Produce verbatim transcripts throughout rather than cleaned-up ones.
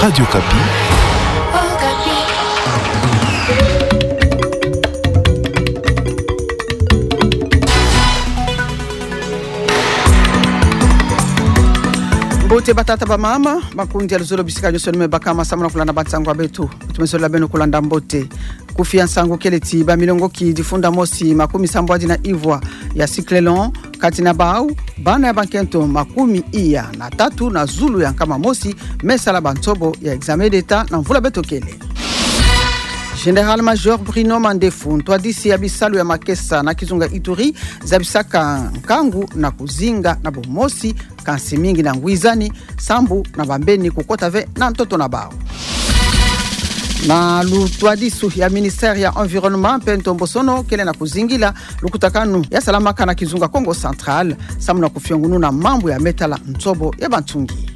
Radio Okapi. Mbote batata bamama, makundi ya luzolo bisika nyonso ni me bakama samu na kulanda bansangu ya beto. Tumesolo beno kulanda mbote. Kufi ya nsangu kele ti bamilongoki difunda mosi makumi sambwadi na ivwa ya cyclone, kati na bau, bana ya bankento makumi iya na tatu na zulu ya nkama mosi, me sala bansobo ya examen d'État na mvula beto kele. Général-major Bruno Mandefu, ntwadisi ya bisalu ya makesa na kizunga Ituri, zabisaka nkangu na kuzinga na bumosi, kansi mingi na ngwizani, sambu na bambeni kukota ve na ntoto na bau. Na lutwadisu ya ministère ya environnement mpe ntombosono kele na kuzingila lukutakanu ya salamaka na kizunga Kongo Central, samu na kufiongununa mambu ya me tala nsobo ya bansungi.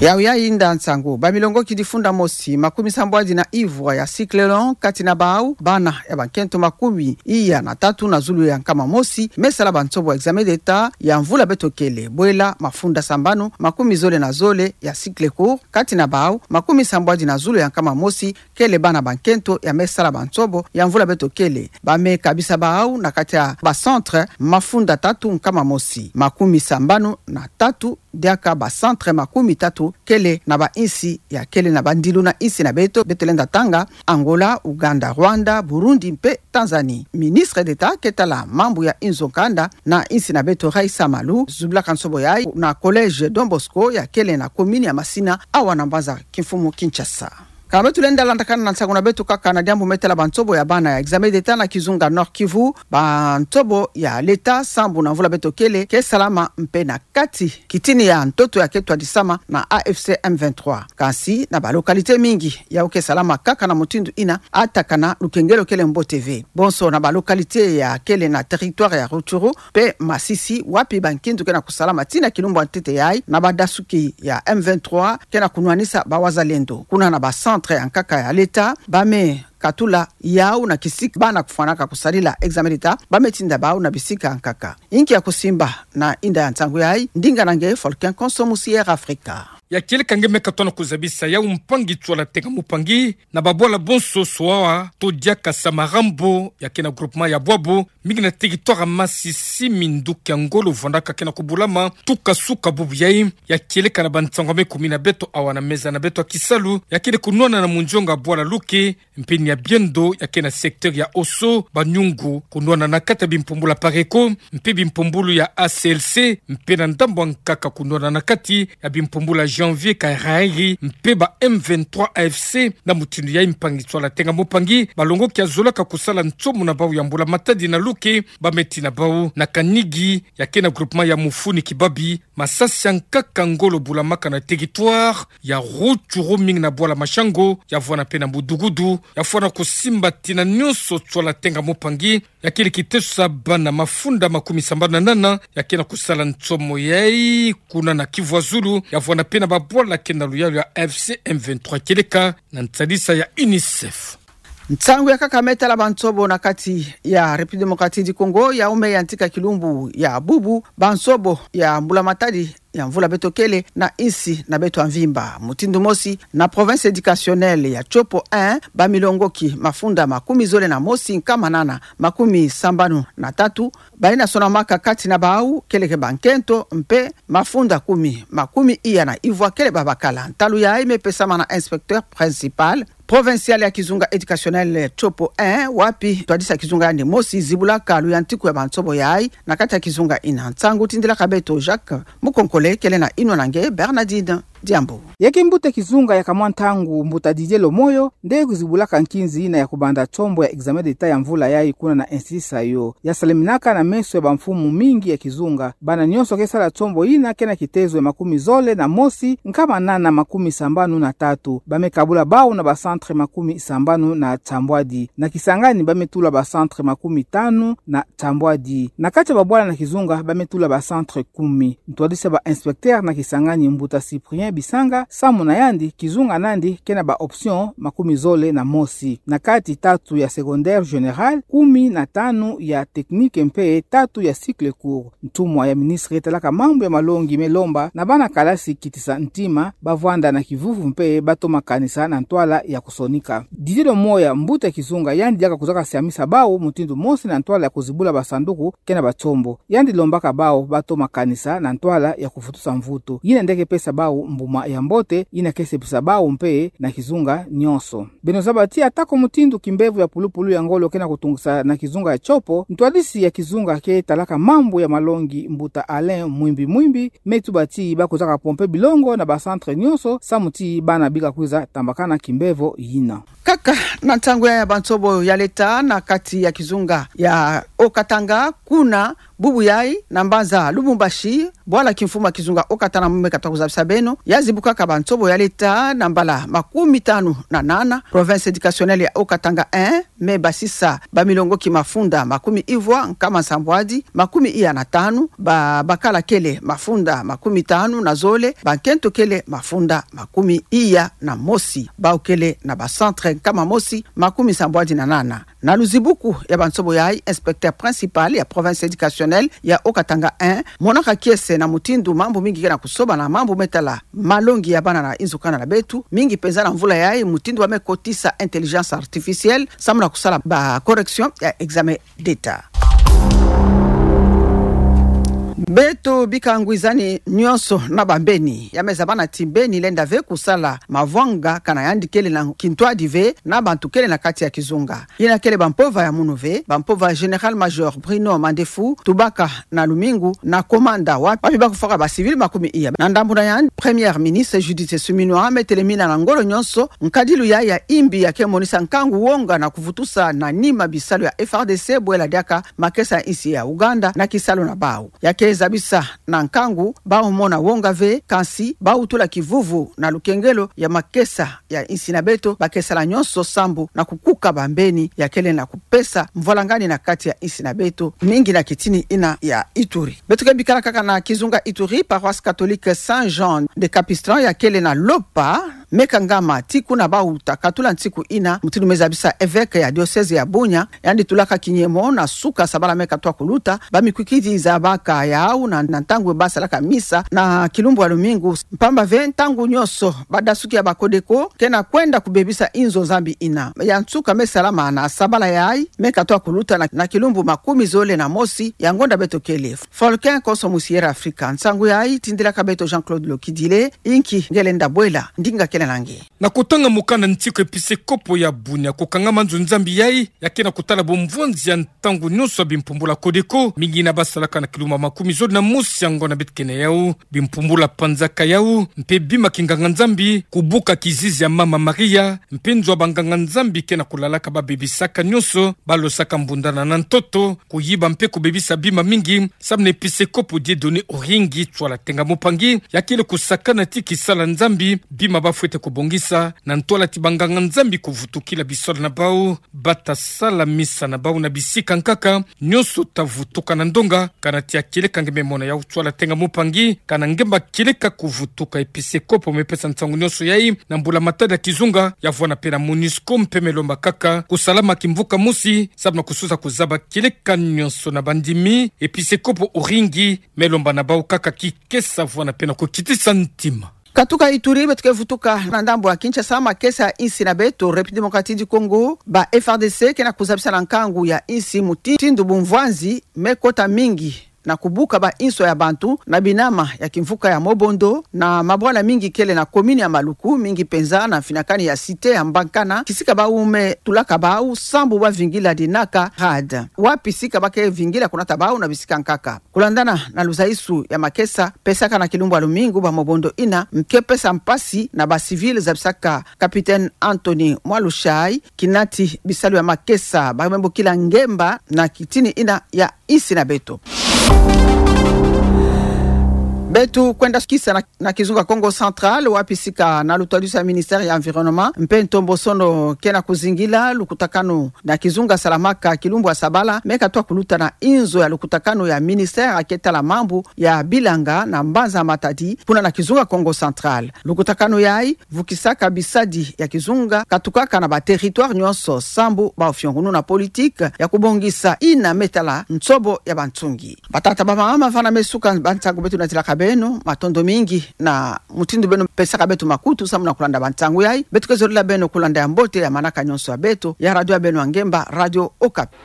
Yau ya inda nsangu, bamilongoki difunda mosi makumi sambwadi na ivwa ya cyclone, kati na bau, bana ya bankento makumi iya na tatu na zulu ya nkama mosi, me sala bansobo examen d'État ya mvula beto kele, bwela mafunda sambanu makumi zole na zole ya cycle court, kati na bau, makumi sambwadi na zulu ya nkama mosi, kele bana bankento ya me sala bansobo ya mvula beto kele. Ba me kabisa bau na kati ya ba centre mafunda tatu nkama mosi, makumi sambanu na tatu, diaka ba centre makumi tatu kele na bainsi ya kele na bandilu na insi na beto, beto lenda tanga, Angola, Ouganda, Rwanda, Burundi mpe Tanzanie. Ministre d'État ke tala mambu ya inzo kanda na insi na beto, Raissa Malu, zubulaka nsobo yayi na collège Don Bosco ya kele na commune ya Masina, awa na mbanza kimfumu Kinshasa. Ka beto lenda landakana na nsangu na beto kaka na diambu me tala bansobo ya bana ya examen d'État na kizunga Nord-Kivu, bansobo ya l'État sambu na mvula beto kele ke salama mpe na kati kitini ya ntoto ya ke twadisama na A F C M vingt-trois. Kansi na ba localité mingi yau ke salama kaka na mutindu ina, ata kana lukengelo kele mbote ve. Bonso na ba localité ya kele na territoire ya Rutshuru mpe Masisi, wapi bankindu ke na kusalama tii na kilumbu ya ntete yayi na badasuki ya M vingt-trois ke na kunwanisa ba wazalendo. Kuna na ba centre ya nkaka ya l'État, ba me katula yau na kisika bana kufwanaka kusalila examen d'État, ba me tinda bau na bisika ya nkaka. Inki ya kusimba na inda ya nsangu yayi, ndinga na nge Volcan Konso musi Air Africa. Ya kieleka nge me katona kuzabisa yau mpangi nswala tenga mupangi na babwala bonso swawa to diaka Samarambo ya ke na groupement ya Bwabo, mingi na territoire ya Masisi, minduki ya ngolo vwandaka ke na kubulama tuka suka bubu yayi. Ya kieleka na bansangu ya me kumina beto awa na meza na beto ya kisalu, ya kele kunwana na munzonga bwala Luke, mpe ni ya biendo ya ke na secteur ya Oso, Banyungu, kunwana na kati ya bimpumbulu ya Pareco mpe bimpumbulu ya A C L C, mpe na ndambu ya nkaka kunwana na kati ya bimpumbulu ya Janvier, Kairari mpe ba M vingt-trois A F C. Na mutindu yayi, mpangi nswala tenga mupangi, balongoki ya zolaka kusala nsomo na bau ya mbula-matadi na Luke, ba me tina bau na Kanigi ya ke na groupement ya Mufuni Kibabi, masasi ya nkaka ngolo bulamaka na territoire ya Rutshuru, mingi na bwala Mashango, ya vwanda mpe na Mudugudu, ya fwana kusimba tina nyonso nswala tenga mupangi, ya kele kiteso ya bana mafunda makumi sambanu na nana ya ke na kusala nsomo yayi. Kuna na Kivu ya Zulu, ya vwanda mpe na babwala ke na luyalu ya A F C M vingt-trois, kieleka na nsadisa ya UNICEF. Nsangu ya nkaka me tala bansobo na kati ya République Démocratique du Congo, yau me yantika kilumbu ya bubu bansobo ya mbula-matadi ya mvula beto kele na insi na beto ya mvimba. Mutindu mosi, na province éducationnelle ya Tshopo un, bamilongoki mafunda makumi zole na mosi nkama nana makumi sambanu na tatu, bayina sonamaka, kati na bau kele ke bankento mpe mafunda kumi, makumi iya na ivwa kele babakala. Ntalu yayi me pesama na inspecteur principal provincial ya kizunga éducationnel Tshopo un, wapi ntwadisi ya kizunga yandi mosi zibulaka luyantiku ya bansobo yayi na kati ya kizunga ina. Nsangu tindilaka beto Jacques Mukonkole, kele na inwa na nge Bernardine Diambu. Ya kimbuta kizunga ya kamwa ntangu, mbuta Didier Lomoyo nde kuzibulaka nkinzi ina ya kubanda tsombo ya examen d'État ya mvula yayi kuna na Institut Saïo. Ya salaminaka na meso ya bamfumu mingi ya kizunga. Bana nyonso ke sala tsombo ina ke na kitezo ya makumi zole na mosi nkama nana makumi sambanu na tatu. Ba me kabula bau na ba centre makumi sambanu na nsambwadi. Na Kisangani ba me tula ba centre makumi tanu na nsambwadi. Na kati ya babwala na kizunga ba me tula ba centre kumi. Ntwadisi ya ba inspecteur na Kisangani, mbuta Cyprien bisanga, samu na yandi kizunga nandi ke na ba option makumi zole na mosi. Na kati tatu ya secondaire général, kumi na tanu ya technique mpe tatu ya cycle court. Ntumwa ya ministre talaka mambu ya malongi me lomba na bana kalasi kitisa ntima, ba vwanda na kivuvu mpe ba toma kanisa na ntwala ya kusonika. Didier Moya, mbuta kizunga, yandi diaka kuzaka siamisa bau mutindu mosi na ntwala ya kuzibula basanduku ke na batsombo. Yandi lombaka bau ba toma kanisa na ntwala ya kuvutusa mvutu. Yina nde ke pesa bau mbuma ya mbote, yina ke sepisa bau mpe na kizunga nyonso. Beno zaba ti atako mutindu kimbevo ya pulupulu ya ngolo ke na kutungisa na kizunga ya Tshopo, ntwadisi ya kizunga ke talaka mambu ya malongi, mbuta Alain Mwimbi Mwimbi, me tuba ti ba kuzaka pomper bilongo na ba centre nyonso, samu ti bana bika kwiza tambakana kimbevo yina. Kaka na ntangu ya, ya bansobo ya leta na kati ya kizunga ya Haut-Katanga, kuna bubu yayi na mbanza Lubumbashi, bwala kimfumu ya kizunga Haut-Katanga me kata kuzabisa beno, ya zibukaka bansobo ya leta na mbala makumi tanu na nana, province éducationnelle ya Haut-Katanga un, me basisa bamilongoki mafunda makumi ivwa nkama nsambwadi makumi iya na tanu, ba, bakala kele mafunda makumi tanu na zole, bankento kele mafunda makumi iya na mosi, bau kele na ba centre nkama mosi makumi nsambwadi na nana. Na luzibuku ya bansobo yayi, inspecteur principal ya province éducationnelle ya Haut-Katanga un monaka kiese na mutindu mambu mingi ke na kusoba na mambu me tala malongi ya bana na inzo kana na beto, mingi penza na mvula yayi, mutindu ba me kotisa intelligence artificielle samu na kusala ba correction ya examen d'État. Beto bika ngwizani nyonso na bambeni, ya me zabana ti mbeni lenda ve kusala mavwanga kana yandi kele na kintwadi ve na bantu kele na kati ya kizunga. Yina kele bampova ya munu ve, bampova Général-Major Bruno Mandefu, tubaka na lumingu na komanda wa, wapi ba kufwaka ba civil makumi iya. Na ndambu na yandi, Première Ministre Judith Suminwa me telemina na ngolo nyonso nkadilu ya, ya imbi ya ke monisa nkangu, wonga na kuvutusa na nima bisalu ya F R D C bwela diaka makesa ya insi ya Ouganda na kisalu na bau. Ya ke zabisa na nkangu bau mona wonga ve, kansi bau tula kivuvu na lukengelo ya makesa ya insi na beto, ba ke sala nyonso sambu na kukuka bambeni ya kele na kupesa mvwalangani na kati ya insi na beto, mingi na kitini ina ya Ituri. Beto ke bikala kaka na kizunga Ituri, paroisse catholique Saint Jean de Capistran ya kele na lopa me kangama ti kuna bau ta katula nsiku ina, mutindu me zabisa évêque ya diocèse ya Bunia, yandi tulaka kinyemo na suka sabala me katwa kuluta, ba mikwikidi zabaka yau na, na ntangu ba salaka misa na kilumbu ya lumingu, mpamba ve ntangu nyonso badasuki ya ba Codeco ke na kwenda kubebisa inzo Nzambi ina. Ya nsuka me salama na sabala yayi me katwa kuluta na, na kilumbu makumi zole na mosi ya ngonda beto kele. Faulkon konso musi Air Afrika. Nsangu yayi tindilaka beto Jean-Claude Lokidile, inki nge lenda bwela, ndinga kele na nge. Na kutanga mukanda nsiku, episekopo ya Bunia kukangama nzo Nzambi yayi, ya ke na kutala bumvwanzi ya ntangu nyonso ya bimpumbula Codeco, mingi na ba salaka na kilumbu makumi zole na mosi ya ngonda beto ke na yau, bimpumbula panzaka yau, mpe bima kinganga-Nzambi, kubuka kizizi ya Mama Maria, mpe nzo ya banganga-Nzambi ke na kulalaka ba bebisaka nyonso ba losaka mbundana na ntoto, kuyiba mpe kubebisa bima mingi, samu na episekopo Dieudonné Oringi Tswala Tenga Mupangi, ya kele kusakana ti kisala Nzambi, bima ba fwete kubongisa, na ntwala ti banganga-Nzambi kuvutukila bisola na bau, ba ta sala misa na bau na bisika nkaka, nyonso ta vutuka na ndonga, kana tia kieleka nge me mona yau Tswala Tenga Mupangi, kana nge mba kieleka kuvutuka. Episekopo me pesa nsangu nyonso yayi na mbula-matadi ya kizunga, ya vwanda mpe na MONUSCO mpe me lomba kaka kusalama kimvuka mosi, samu na kusosa kuzaba kieleka nyonso na bandimi, episekopo Oringi me lomba na bau kaka kikesa, vwanda mpe na kukitisa ntima. Katuka Ituri, beto ke vutuka na ndambu ya Kinshasa, makesa ya insi na beto, République Démocratique du Congo, ba F R D C ke na kuzabisa na nkangu ya insi mutindu bumvwanzi me kota mingi na kubuka ba inso ya bantu na binama ya kimvuka ya Mobondo, na mabwala mingi kele na commune ya Maluku, mingi penza na mfinakani ya cité ya Mbakana, kisika bau me tulaka bau sambu ba vingila dinaka rade. Wapi sika ba ke vingila kunata bau na bisika nkaka. Kulandana na luzaisu ya makesa pesaka na kilumbu ya lumingu ba Mobondo ina, me ke pesa mpasi na ba civil, zabisaka Capitaine Anthony Mwalushai, kinati bisalu ya makesa ba me bokila ngemba na kitini ina ya insi na beto. Beto kwenda sukisa na, na kizunga Kongo Central, wapi sika na lutwadusi ya Ministère ya Environnement mpe Ntombosono ke na kuzingila lukutakanu na kizunga Salamaka kilumbu ya sabala, me katwa kuluta na inzo ya lukutakanu ya Ministère ke tala mambu ya bilanga na mbanza Matadi, kuna na kizunga Kongo Central. Lukutakanu yayi vukisaka bisadi ya kizunga katukaka na ba territoire nyonso sambu bau fiongono na politique ya kubongisa ina me tala nsobo ya bansungi. Batata, bamama, vana me suka ba nsangu beto natilaka beno, matondo mingi na mutindu beno pesaka beto makutu sambu na kulanda ba nsangu yayi. Beto ke zolila beno kulanda ya mbote ya manaka nyonso ya beto, ya radio ya beno ya ngemba, Radio Okapi.